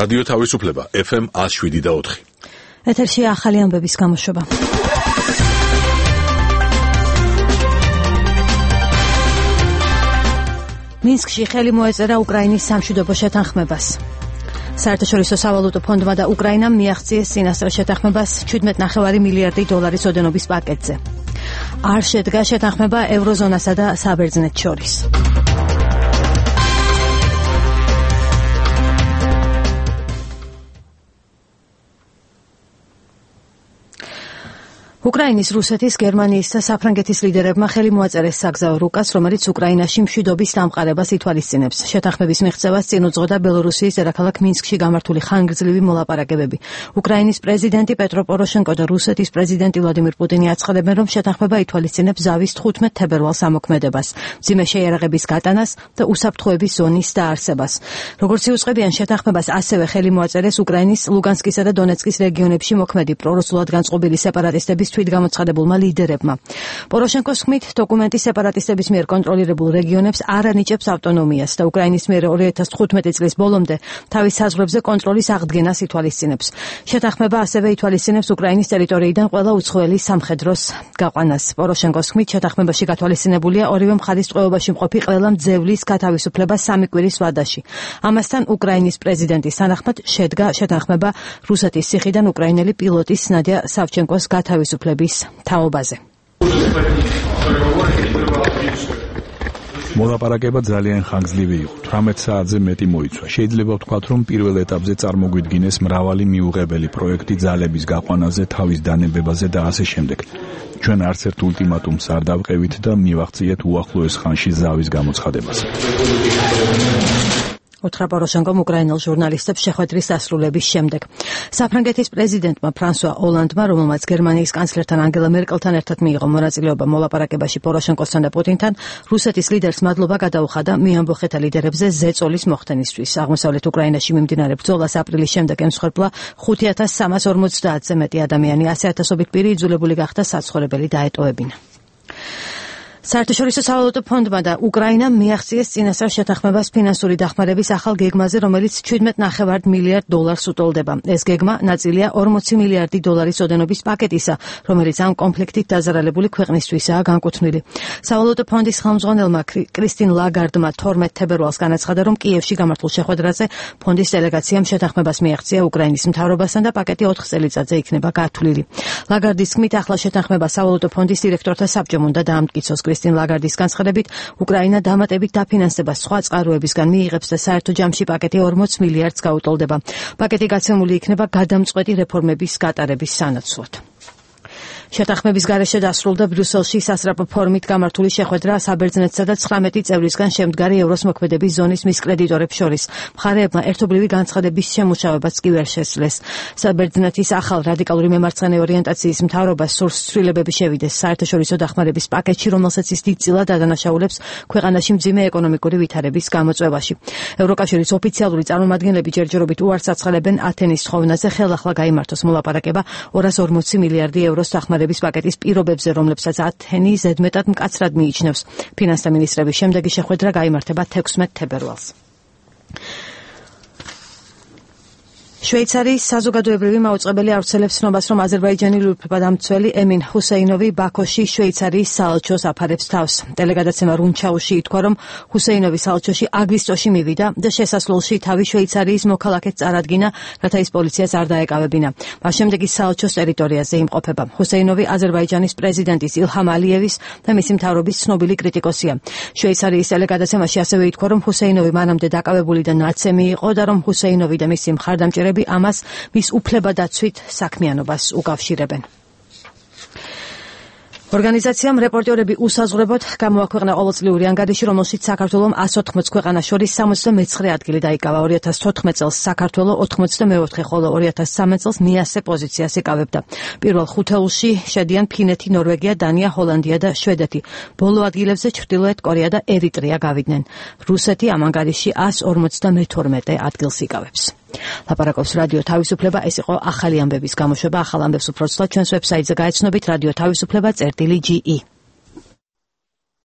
რადიო თავისუფლება FM 107.4. ეთერში ახალი ამბების გამოშვება. მინსკში ხელი მოეწერა უკრაინის სამშვიდობო შეთანხმებას. საერთაშორისო სავალუტო ფონდმა და უკრაინამ მიაღწიეს წინასწარ შეთანხმებას 17.5 მილიარდი დოლარის ოდენობის პაკეტზე. არ შედგა შეთანხმება ევროზონასა და საბერძნეთს შორის. უკრაინის, რუსეთის, გერმანიის და საფრანგეთის ლიდერებმა ხელი მოაწერეს საგზაო რუკას, რომელიც უკრაინაში მშვიდობის დამყარებას ითვალისწინებს. შეთანხმების მიღწევას წინ უძღოდა ბელორუსიის დედაქალაქ მინსკში გამართული ხანგრძლივი მოლაპარაკებები. უკრაინის პრეზიდენტი პეტრო პოროშენკო და რუსეთის პრეზიდენტი ვლადიმირ პუტინი აცხადებენ, რომ შეთანხმება ითვალისწინებს ზავის 15 თებერვალს ამოქმედებას, მძიმე შეიარაღების გატანას და უსაფრთხოების ზონის დაარსებას. როგორც იუწყებიან შეთანხმებას, ასევე ხელი მოაწერეს უკრაინის ლუგანსკისა და დონეცკის რეგიონებში მოქმედი პრორუსულად განწყობილი სეპარატისტების თვითგამოცხადებულმა ლიდერებმა. პოროშენკოს ხმით, დოკუმენტი სეპარატისტების მიერ კონტროლირებულ რეგიონებს არ ანიჭებს ავტონომიას და უკრაინის მიერ 2015 წლის ბოლომდე თავის საზღვრებზე კონტროლის აღდგენას ითვალისწინებს. შეთანხმება ასევე ითვალისწინებს უკრაინის ტერიტორიიდან ყველა უცხოელი სამხედროს გაყვანას. პოროშენკოს ხმით, შეთანხმებაში გათვალისწინებულია ორივე მხარის ტყვეობაში მყოფი ყველა მძევლის გათავისუფლება 3 კვირის ვადაში. ამასთან უკრაინის პრეზიდენტის თანახმად შედგა შეთანხმება რუსეთის ციხიდან უკრაინელი პილოტის ნადია სავჩენკოს გათავისუფლების თაობაზე. მოლაპარაკება ძალიან ხანგრძლივი იყო. 18 საათზე მეტი მოიცვა. შეიძლება ვთქვათ, რომ პირველ ეტაპზე წარმოგვიდგინეს მრავალი მიუღებელი პროექტი ძალების გაყვანაზე, თავის დანებებაზე და ასე შემდეგ. ჩვენ არც ერთ ულტიმატუმს არ დავყევით და მივაღწიეთ უახლოეს ხანში ზავის გამოცხადებას. უთხრა პოროშენკომ უკრაინელ ჟურნალისტებს შეხვედრის დასრულების შემდეგ. საფრანგეთის პრეზიდენტმა ფრანსუა ოლანდმა, რომელმაც გერმანიის კანცლერთან ანგელა მერკელთან ერთად მიიღო მონაწილეობა მოლაპარაკებაში პოროშენკოსთან და პუტინთან, რუსეთის ლიდერს მადლობა გადაუხადა მიამბოხეთა ლიდერებზე ზეწოლის მოხდენისთვის. აღმოსავლეთ უკრაინაში მიმდინარე ბრძოლას აპრილის შემდეგ ემსხვერპლა 5350-ზე მეტი ადამიანი, 100,000-ობით პირი იძულებული გახდა საცხოვრებელი დაეტოვებინა. საერთაშორისო სავალუტო ფონდმა და უკრაინამ მიაღწიეს წინასწარ შეთანხმებას ფინანსური დახმარების ახალ გეგმაზე, რომელიც 17.5 მილიარდ დოლარს უტოლდება. ეს გეგმა ნაწილია 40 მილიარდი დოლარის ოდენობის პაკეტისა, რომელიც ამ კონფლიქტით დაზარალებული ქვეყნისთვისაა განკუთვნილი. სავალუტო ფონდის ხელმძღვანელმა კრისტინ ლაგარდმა 12 თებერვალს განაცხადა, რომ კიევში გამართულ შეხვედრაზე ფონდის დელეგაციამ შეთანხმებას მიაღწია უკრაინის მთავრობასთან და პაკეტი 4 წელიწადზე იქნება გათვლილი. ლაგარდის ხმით, ახლა შეთანხმება სავალუტო ფონდის დირექტორთა საბჭომ უნდა დაამტკიცოს. კრისტინ ლაგარდის განცხადებით, უკრაინა დამატებით დაფინანსებას სხვა წყაროებისგან მიიღებს და საერთო ჯამში პაკეტი 40 მილიარდს გაუტოლდება. პაკეტი გაცემული იქნება გადამწყვეტი რეფორმების გატარების სანაცვლოდ. შეთანხმების გარეშე დასრულდა ბრიუსელში სასწრაფო ფორმით გამართული შეხვედრა საბერძნეთსა და 19 წევრისგან შემდგარი ევროს მოქმედების ზონის მის კრედიტორებს შორის. მხარეებმა ერთობლივი განცხადების შემუშავებაც კი ვერ შესძლეს. საბერძნეთის ახალ რადიკალური მემარცხენე ორიენტაციის მთავრობას სურს ცვლილებები შევიდეს საერთაშორისო დახმარების პაკეტში, რომელსაც ის დიდწილად ადანაშაულებს ქვეყანაში მძიმე ეკონომიკური ვითარების გამოწვევაში. ევროკავშირის ოფიციალური წარმომადგენლები ჯერჯერობით უარს აცხადებენ ათენის თხოვნაზე ხელახლა გაიმართოს მოლაპარაკება 240 მილიარდი ევროს დახმარების პაკეტის პირობებზე, რომლებსაც ათენი ზედმეტად მკაცრად მიიჩნევს. ფინანსთა მინისტრების შემდეგი შეხვედრა გაიმართება 16 თებერვალს. შვეიცარიის საზოგადოებრივი მაუწყებელი ავრცელებს ცნობას, რომ აზერბაიჯანელი უფლებადამცველი ემინ ჰუსეინოვი ბაქოში შვეიცარიის საელჩოს აფარებს თავს. ტელეგადაცემა რუნჩაუში ითქვა, რომ ჰუსეინოვი საელჩოში აგვისტოში მივიდა და შესასვლელში თავი შვეიცარიის მოქალაქეს წარადგინა, რათა ის პოლიციას არ დაეკავებინა. მას შემდეგ ის საელჩოს ტერიტორიაზე იმყოფება. ჰუსეინოვი აზერბაიჯანის პრეზიდენტის ილჰამ ალიევის და მისი მთავრობის ცნობილი კრიტიკოსია. შვეიცარიის ტელეგადაცემაში ასევე ითქვა, რომ ჰუსეინოვი მანამდე დაკავებული და ნაცემი იყო და რომ ჰუსეინოვი და მისი მხარდამჭერები ამას მის უფლებადაცვით საქმიანობას უკავშირებენ. ორგანიზაციამ რეპორტერები უსაზღვრებოდ გამოაქვეყნა ყოველწლიური ანგარიში, რომელშიც საქართველომ 180 ქვეყანას შორის 69 ადგილი დაიკავა. 2014 წელს საქართველო 84, ხოლო 2013 წელს მეასე პოზიციას იკავებდა. პირველ ხუთეულში შედიან ფინეთი, ნორვეგია, დანია, ჰოლანდია და შვედეთი. ბოლო ადგილებზე ჩრდილოეთ კორეა და ერიტრეა გავიდნენ. რუსეთი ამ ანგარიში 152 ადგილს იკავებს. ლაპარაკობს რადიო თავისუფლება. ეს იყო ახალი ამბების გამოშვება. ახალ ამბებს უფრო ცოტა ჩვენს ვებსაიტზე გაეცნობით, რადიო თავისუფლება.ge.